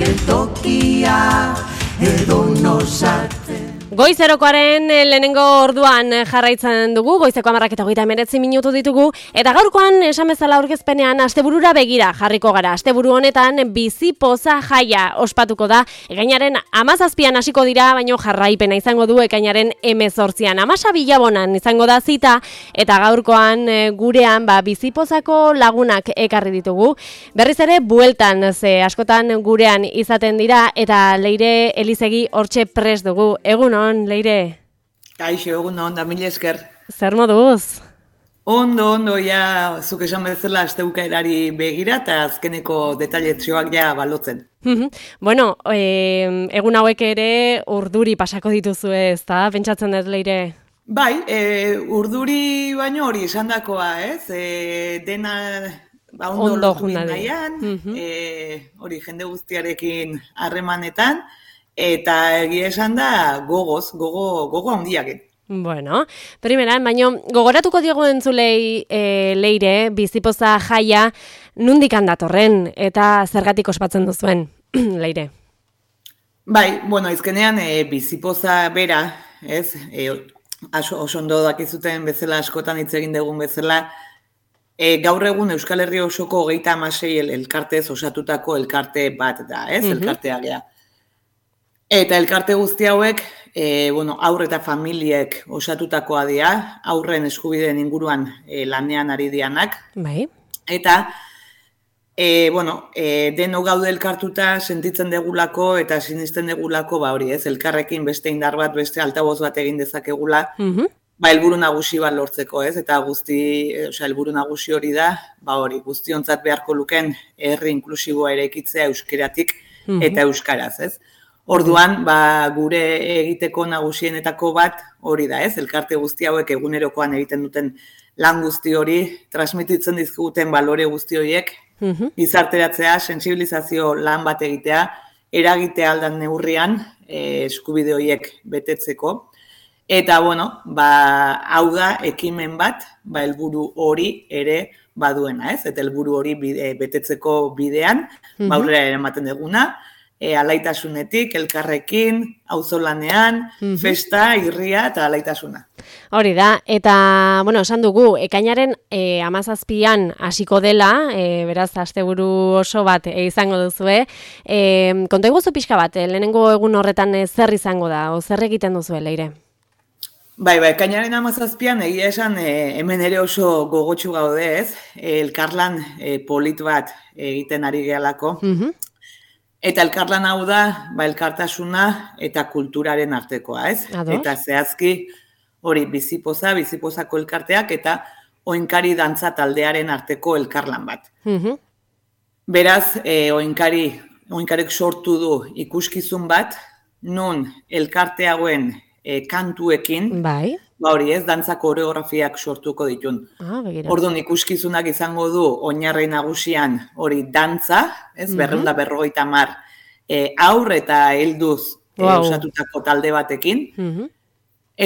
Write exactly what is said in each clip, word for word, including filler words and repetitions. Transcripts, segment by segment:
geltokia edo nosarte. Goizerokoaren lehenengo orduan jarraitzen dugu, goizeko hamarrak eta hogeita hemeretzi minutu ditugu, eta gaurkoan esan bezala aurkezpenean asteburura begira jarriko gara. Asteburu honetan bizipoza jaia ospatuko da, ekainaren hamazazpian hasiko dira, baino jarraipena izango du ekainaren hemezortzian. Amasa Bilabonan izango da zita, eta gaurkoan gurean ba, bizipozako lagunak ekarri ditugu. Berriz ere bueltan, ze askotan gurean izaten dira, eta Leire Elizegi hortxe prest dugu. Egun Leire? Kaixo, egun on, da mil esker. Zer moduz? Ondo, ondo, ja, zuk esan bezala asteukaerari begira eta azkeneko detailetxoak ja balotzen. Bueno, eh, egun hauek ere urduri pasako dituzu ez, da? Pentsatzen dut, Leire? Bai, e, urduri baino hori esan dakoa, ez? E, dena ba, ondo, ondo lotu nahian, e, hori jende guztiarekin harremanetan, eta egia esan da gogoz, gogo, gogo handiakin. Bueno, primeran, baino gogoratuko diogu entzulei e, Leire, bizipoza jaia nundik handatorren eta zergatik ospatzen duzuen, Leire? Bai, bueno, izkenean e, bizipoza bera, ez, e, oso ondo dakizuten bezala askotan hitz egin dugun bezala, e, gaur egun Euskal Herri osoko hogeita hamasei el, elkartez osatutako elkarte bat da, ez, mm-hmm. elkartea gea. Eta elkarte guzti hauek, e, bueno, aur eta familiek osatutakoa dira, aurren eskubideen inguruan e, lanean ari dianak. Bai. Eta, e, bueno, e, deno gaude elkartuta sentitzen degulako eta sinisten degulako, ba hori ez, elkarrekin beste indar bat, beste altaboz bat egin dezakegula, mm-hmm. ba helburu nagusi bat lortzeko, ez, eta guzti, osea, helburu nagusi hori da, ba hori, guztiontzat beharko luken herri inklusiboa eraikitzea euskeratik mm-hmm. eta euskaraz, ez. Orduan, ba, gure egiteko nagusienetako bat hori da, ez? Elkarte guzti hauek egunerokoan egiten duten lan guzti hori, transmititzen dizkiguten balore guzti horiek, mm-hmm. gizarteratzea, sentsibilizazio lan bat egitea, eragitea aldan neurrian, e, eskubide horiek betetzeko. Eta, bueno, ba, hau da ekimen bat, ba, helburu hori ere baduena, ez? Eta helburu hori bide, betetzeko bidean, mm-hmm. ba, aurrera eramaten duguna, E, alaitasunetik, elkarrekin, auzolanean, mm-hmm. festa, irria eta alaitasuna. Hori da, eta, bueno, esan dugu, ekainaren e, hamazazpian hasiko dela, e, beraz, asteburu oso bat e, izango duzue. E, konta iguzu pixka bat, e, lehenengo egun horretan e, zer izango da, o zer egiten duzue, Leire? Bai, bai, ekainaren hamazazpian egia esan e, hemen ere oso gogotsu gaude ez, e, elkarlan e, polit bat egiten ari gehalako. Mm-hmm. Eta elkarlan hau da, ba, elkartasuna eta kulturaren artekoa, ez? Ados. Eta zehazki hori bizipoza, bizipozako elkarteak eta oinkari dantza taldearen arteko elkarlan bat. Mm-hmm. Beraz, e, oinkari, oinkarek sortu du ikuskizun bat, non elkarte hauen e, kantuekin, bai. Ba hori ez, dantza koreografiak sortuko ditun. Ah, Orduan ikuskizunak izango du oinarri nagusian hori dantza, ez, mm-hmm. berreunda berrogeita hamar e, aur eta helduz wow. e, osatutako talde batekin. Mm-hmm.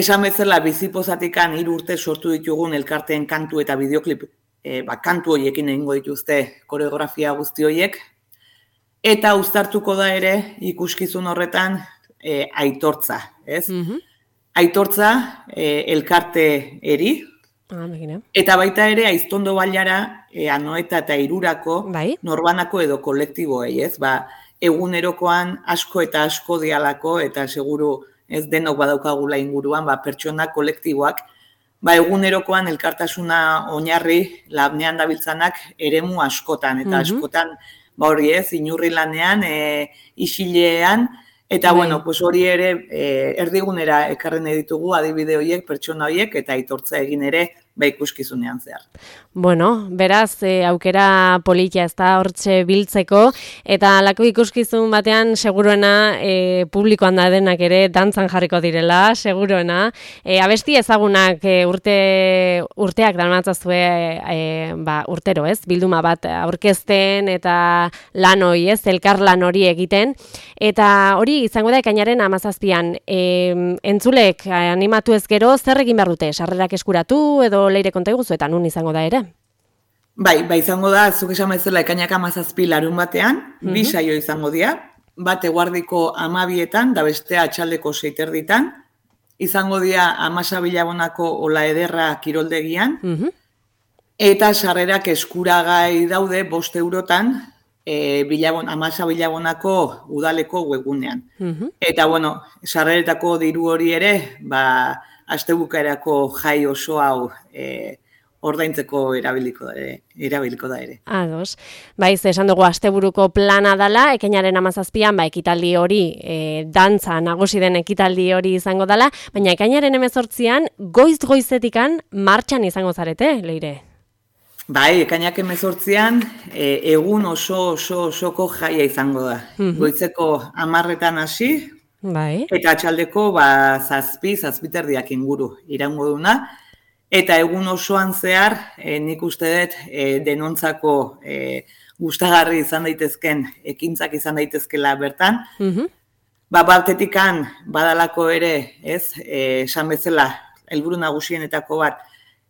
Esan bezala bizipozatikan hiru urte sortu ditugun elkarteen kantu eta bideoklip, e, ba, kantu horiekin egingo dituzte koreografia guzti horiek. Eta uztartuko da ere ikuskizun horretan e, aitortza, ez? Mm-hmm. Aitortza e, elkarte eri, ah, eta baita ere aiztondo bailara e, anoeta eta irurako bai? Norbanako edo kolektiboei, ez? Ba, egunerokoan asko eta asko dialako, eta seguru ez denok badaukagula inguruan, ba, pertsona kolektiboak, ba, egunerokoan elkartasuna oinarri lanean dabiltzanak eremu askotan, eta mm-hmm. askotan, ba hori ez, inurri lanean, e, isilean, eta, bai. Bueno, pues hori ere e, erdigunera ekarren ditugu adibide horiek, pertsona horiek, eta aitortza egin ere ba ikuskizunean zehar. Bueno, beraz, e, aukera politia ez da hortxe biltzeko, eta lako ikuskizun batean seguruena e, publikoan da denak ere dantzan jarriko direla, seguruena. E, abesti ezagunak e, urte, urteak dalmatzazue e, ba, urtero, ez? Bilduma bat aurkezten eta lan hori, ez? Elkar lan hori egiten. Eta hori izango da ekainaren hamazazpian. E, entzulek animatu ez gero, zer egin behar dute? Sarrerak eskuratu edo Leire konta iguzu eta nun izango da ere? Bai, bai izango da, zuk esan bezala ekainak hamazazpi larun batean, mm-hmm. bi saio izango dira. bat eguardiko amabietan, da bestea atxaldeko seiterditan, izango dira Amasa Bilabonako Ola Ederra kiroldegian, Mhm. eta sarrerak eskuragai daude bost eurotan, e, Bilabon, Amasa Bilabonako udaleko webgunean. Mhm. Eta, bueno, sarreretako diru hori ere, ba, astebukaerako jai oso hau e, ordaintzeko erabiliko da ere. Erabiliko da ere. Ados. Baiz, esan dugu asteburuko plana dala, ekainaren hamazazpian, ba, ekitaldi hori, e, dantza nagusi den ekitaldi hori izango dala, baina ekainaren hemezortzian, goiz-goizetikan martxan izango zarete, Leire. Bai, ekainak hemezortzian, e, egun oso oso osoko jaia izango da. Mhm. Goitzeko hamarretan hasi, Bai. eta atxaldeko ba, zazpi, zazpiterdiak inguru iraungo duna. Eta egun osoan zehar, e, nik uste dut e, denontzako e, gustagarri izan daitezken, ekintzak izan daitezkela bertan. Mhm. Ba, batetikan badalako ere, ez, e, esan bezala, helburu nagusienetako bat,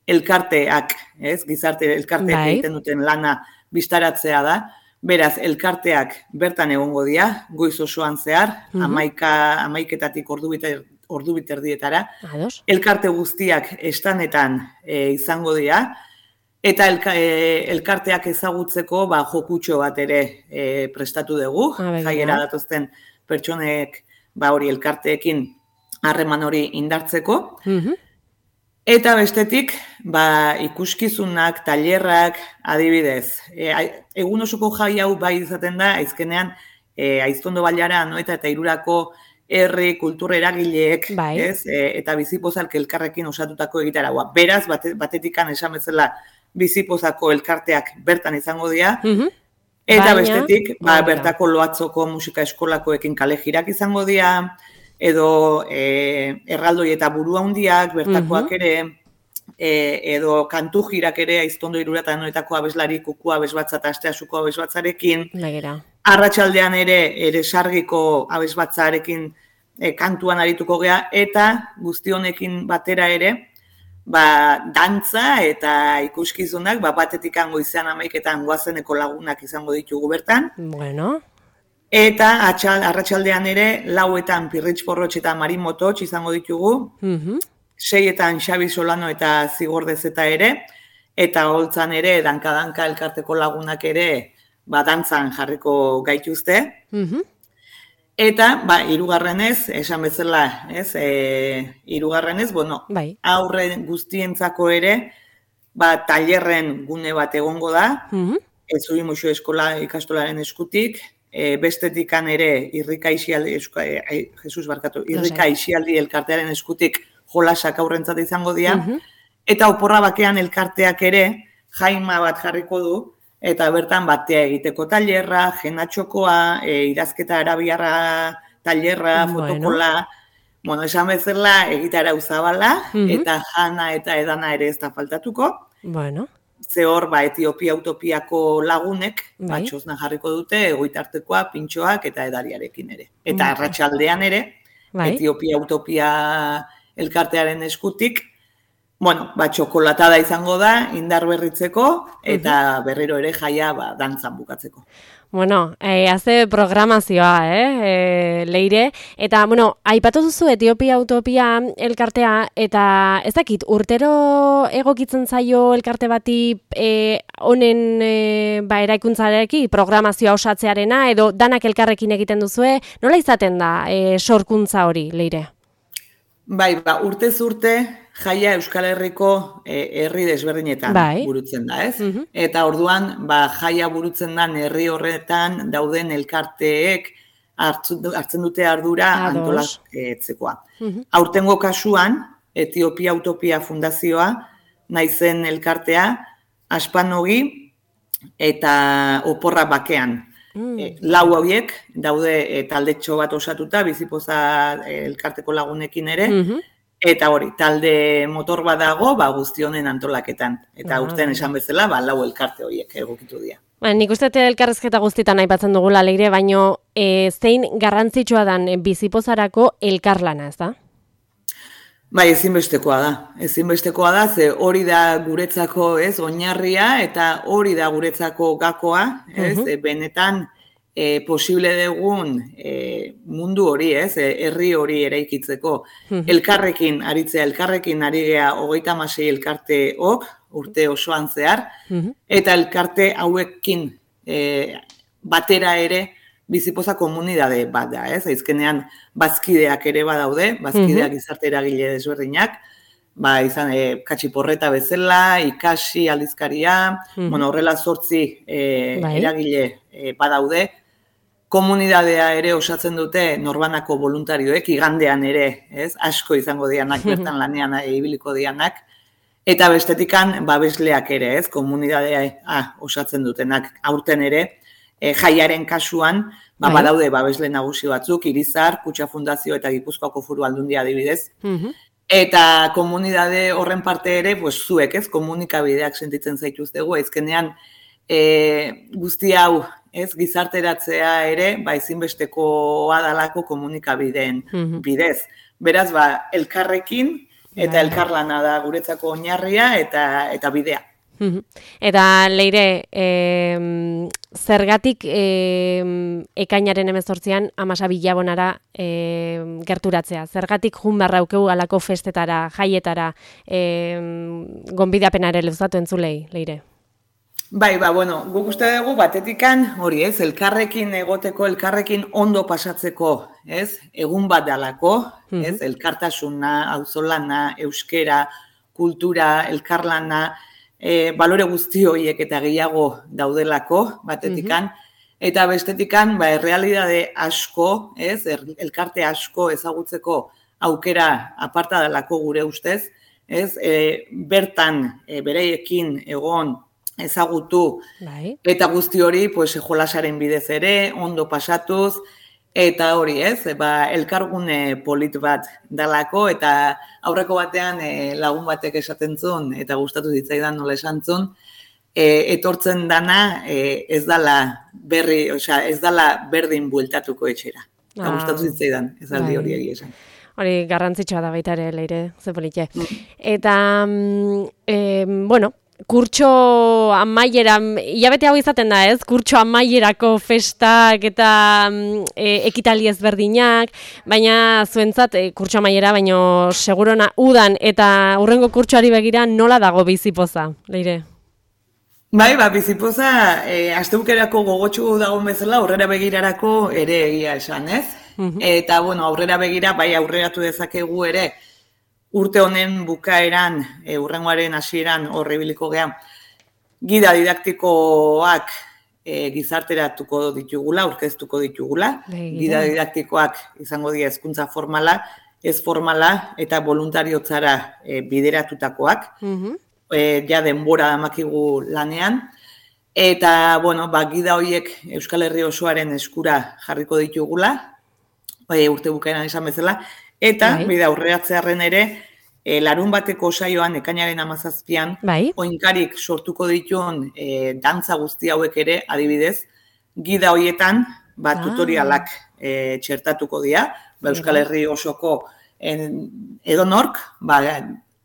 elkarteak, ez, gizarte elkarteak Bai. egiten duten lana bistaratzea da. Beraz, elkarteak bertan egongo dira, goiz osoan zehar, Mhm. amaika, amaiketatik ordu biter, ordu biterdietara. Ados. Elkarte guztiak estanetan e, izango dira, eta elka, e, elkarteak ezagutzeko ba, jokutxo bat ere e, prestatu dugu, Ah, begira. jaiera datozten pertsonek ba, hori elkarteekin harreman hori indartzeko. Mhm. Eta bestetik, ba, ikuskizunak, tailerrak, adibidez. E, ai- egun osoko jai hau bai izaten da, aizkenean, e, Aiztondo Bailara, no, eta eta irurako herri kultura eragileek, Bai. ez? E, eta bizipozak elkarrekin osatutako egitaragoa. Beraz, bate, batetikan esan bezala bizipozako elkarteak bertan izango dira, Mhm. eta Baina- bestetik, ba, Baina. bertako Loatzoko musika eskolakoekin kale jirak izango dira, edo e, erraldoi eta buru handiak, bertakoak Mhm. ere, e, edo kantu jirak ere, Aiztondo Irurata noetako abeslari kuku abesbatza eta asteasuko abesbatzarekin, Begira. arratsaldean ere, ere sargiko abesbatzarekin e, kantuan arituko gea, eta guzti honekin batera ere, ba, dantza eta ikuskizunak, ba, batetikan goizean amaiketan goazeneko lagunak izango ditugu bertan, Bueno. eta atxal, arratsaldean ere, lauetan Pirritx Porrotx eta Marin Mototx izango ditugu, Mhm. seietan Xabi Solano eta Zigordez eta ere, eta holtzan ere, danka-danka elkarteko lagunak ere, ba, dantzan jarriko gaituzte. Mhm. Eta, ba, hirugarrenez, esan bezala, ez, e, hirugarrenez, bueno, Bai. aurre guztientzako ere, ba, tailerren gune bat egongo da, Mhm. Ezubi Muxo Eskola ikastolaren eskutik, e, bestetikan ere irrika isialdi, eska, e, ai, Jesus barkatu, irrika isialdi elkartearen eskutik jolasak aurrentzat izango dira, Mhm. eta oporra bakean elkarteak ere jaima bat jarriko du, eta bertan batea egiteko tailerra, jenatxokoa, e, idazketa arabiarra tailerra, Bueno. fotokola, bueno, esan bezala egitarau zabala, Mhm. eta jana eta edana ere ez da faltatuko. Bueno. Ze hor, ba, Etiopia utopiako lagunek, Bai. ba, txosna jarriko dute, egoitartekoa, pintxoak eta edariarekin ere. Eta Bai. arratsaldean ere, Bai. Etiopia utopia elkartearen eskutik, bueno, ba, txokolatada izango da, indar berritzeko, eta berriro ere jaia, ba, dantzan bukatzeko. Bueno, eh, haze programazioa, eh, eh, Leire. Eta, bueno, aipatu duzu Etiopia Utopia elkartea, eta ez dakit, urtero egokitzen zaio elkarte bati eh, honen eh, ba, eraikuntzarekin programazioa osatzearena, edo danak elkarrekin egiten duzue, nola izaten da eh, sorkuntza hori, Leire? Bai, ba, urtez urte jaia Euskal Herriko eh, herri desberdinetan Bai. burutzen da, ez? Mhm. Eta orduan, ba, jaia burutzen den herri horretan dauden elkarteek hartzu, hartzen dute ardura Ados. antolatzekoa. Mhm. Aurtengo kasuan, Etiopia Utopia Fundazioa, naizen elkartea, Aspanogi eta Oporra Bakean. Mm. E, lau hauek daude e, taldetxo bat osatuta, bizipoza e, elkarteko lagunekin ere, Mhm. eta hori, talde motor bat dago, ba, guzti honen antolaketan. Eta Ah, urten bai. esan bezala, ba, lau elkarte horiek egokitu dira. Ba, nik uste dut elkarrezketa guztietan aipatzen dugula, Leire, baino e, zein garrantzitsua dan e, bizipozarako elkarlana, ez da? Bai, ezinbestekoa da. Ezinbestekoa da, ze hori da guretzako, ez, oinarria, eta hori da guretzako gakoa, ez, Mhm. e, benetan e, posible dugun e, mundu hori, ez, e, herri hori eraikitzeko. Elkarrekin aritzea, elkarrekin ari gea hogeita hamasei elkarteok, urte osoan zehar, eta elkarte hauekin e, batera ere bizipoza komunidade bat da, ez? Azkenean bazkideak ere badaude, bazkideak gizarte eragile desberdinak, ba, izan, e, katxiporreta bezala, ikasi, aldizkaria, bueno, horrela zortzi e, eragile e, badaude, komunidadea ere osatzen dute norbanako voluntarioek, igandean ere, ez? Asko izango dianak, bertan lanean ibiliko dianak, eta bestetikan babesleak ere, ez? Komunidadea ah, osatzen dutenak, aurten ere, E, jaiaren kasuan, ba, badaude babesle nagusi batzuk, Irizar, Kutxa Fundazio eta Gipuzkoako Foru Aldundia adibidez. Eta komunidade horren parte ere, pues, zuek, ez, komunikabideak sentitzen zaituztegu, ezkenean e, guzti hau, ez, gizarteratzea ere, ba, ezinbestekoa dalako komunikabideen bidez. Beraz, ba, elkarrekin eta elkarlana da guretzako oinarria eta, eta bidea. Eta Leire, e, zergatik e, ekainaren hemezortzian amasa bilabonara e, gerturatzea? Zergatik jun barra aukeu alako festetara, jaietara, e, gonbidapenare luzatu entzulei, Leire? Bai, ba, bueno, guk uste dugu batetikan hori, ez, elkarrekin egoteko, elkarrekin ondo pasatzeko, ez, egun bat dalako, ez, elkartasuna, auzolana, euskera, kultura, elkarlana, E, balore guzti horiek eta gehiago daudelako, batetikan, eta bestetikan, ba, errealidade asko, ez, er, elkarte asko ezagutzeko aukera aparta delako gure ustez, ez, e, bertan e, bereiekin egon ezagutu, bai. Eta guzti hori, pues, jolasaren bidez ere, ondo pasatuz, eta hori, ez, ba, elkargune polit bat dalako, eta aurreko batean e, lagun batek esaten zuen, eta gustatu zitzaidan nola esan zuen, e, etortzen dana e, ez dala berri, osea, ez dala berdin bueltatuko etxera. Eta ah, gustatu zitzaidan, ez aldi hori egia esan. Hori garrantzitsua da baita ere, Leire, ze politxe. Eta, e, bueno, kurtso amaiera, hilabete hau izaten da, ez? Kurtso amaierako festak eta e, ekitali ezberdinak, baina zuentzat e, kurtso amaiera, baino segurona udan eta hurrengo kurtsoari begira nola dago bizipoza, Leire? Bai, ba, bizipoza, e, astebukerako gogotsu dagoen bezala, aurrera begirarako ere egia esan, ez? Uh-huh. Eta, bueno, aurrera begira, bai aurreratu dezakegu ere, urte honen bukaeran, e, urrengoaren hasieran horre ibiliko gehan, gida didaktikoak e, gizarteratuko ditugula, aurkeztuko ditugula. Begira. Gida didaktikoak izango dira hezkuntza formala, ez formala eta voluntariotzara e, bideratutakoak. Uh-huh. E, ja denbora damakigu lanean. Eta, bueno, ba, gida horiek Euskal Herri osoaren eskura jarriko ditugula, e, urte bukaeran esan bezala, eta, bai. Bida aurreratzearren ere, e, larun bateko saioan, ekainaren hamazazpian, bai. Oinkarik sortuko dituen e, dantza guzti hauek ere, adibidez, gida horietan, ba, ah. tutorialak e, txertatuko dira, ba, Euskal Herri osoko en, edonork, ba,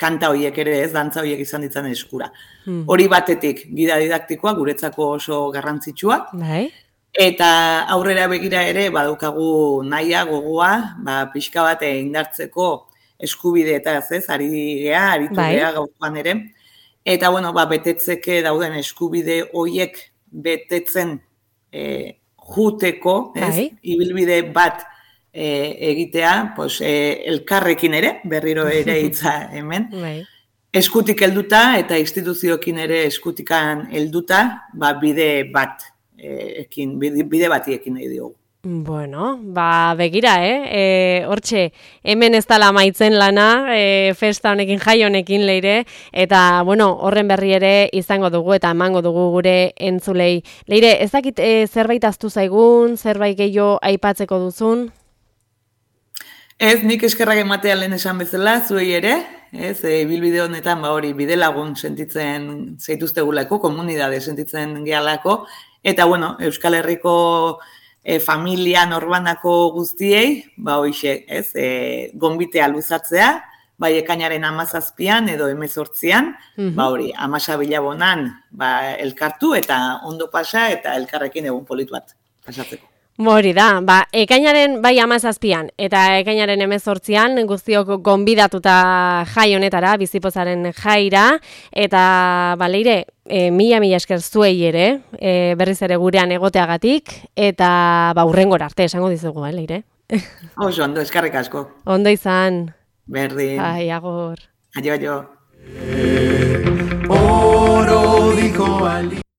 kanta horiek ere ez, dantza horiek izan ditzan eskura. Hmm. Hori batetik, gida didaktikoa, guretzako oso garrantzitsua, bai. Eta aurrera begira ere, badukagu nahia, gogoa, ba, pixka bat indartzeko eskubide eta ez, ari gea, aritu bai. Gea gaurkoan ere. Eta, bueno, ba, betetzeke dauden eskubide horiek betetzen e, juteko, ez, bai. Ibilbide bat e, egitea, pues, e, elkarrekin ere, berriro ere hitza hemen, bai. Eskutik helduta eta instituzioekin ere eskutikan helduta, ba, bide bat. Ekin, bide bati ekin nahi diogu. Bueno, ba, begira, eh? E, hortxe, hemen ez dala amaitzen lana, e, festa honekin, jai honekin, Leire, eta, bueno, horren berri ere izango dugu eta emango dugu gure entzulei. Leire, ez dakit e, zerbait aztu zaigun, zerbait gehiago aipatzeko duzun? Ez, nik eskerrak ematea lehen esan bezala, zuei ere, ez, e, bilbide honetan, ba, hori, bide lagun sentitzen zaituztegulako, komunidade sentitzen gehalako, eta, bueno, Euskal Herriko e, familia norbanako guztiei, ba, hoxe, ez, e, gonbitea luzatzea, bai ekainaren hamazazpian edo hemezortzian, mm-hmm. ba, hori, hamasa bilabonan, ba, elkartu eta ondo pasa eta elkarrekin egun polit bat. pasatzeko. Hori da, ba, ekainaren bai hamazazpian eta ekainaren hemezortzian guztiok gonbidatuta jai honetara, bizipozaren jaira, eta ba, Leire, e, mila mila esker zuei ere, e, berriz ere gurean egoteagatik, eta ba, hurrengora arte esango dizugu, eh, Leire? Oso, ondo, eskarrik asko. Ondo izan. Berdin. Ai, agor. Aio, aio. Oro dijo Ali.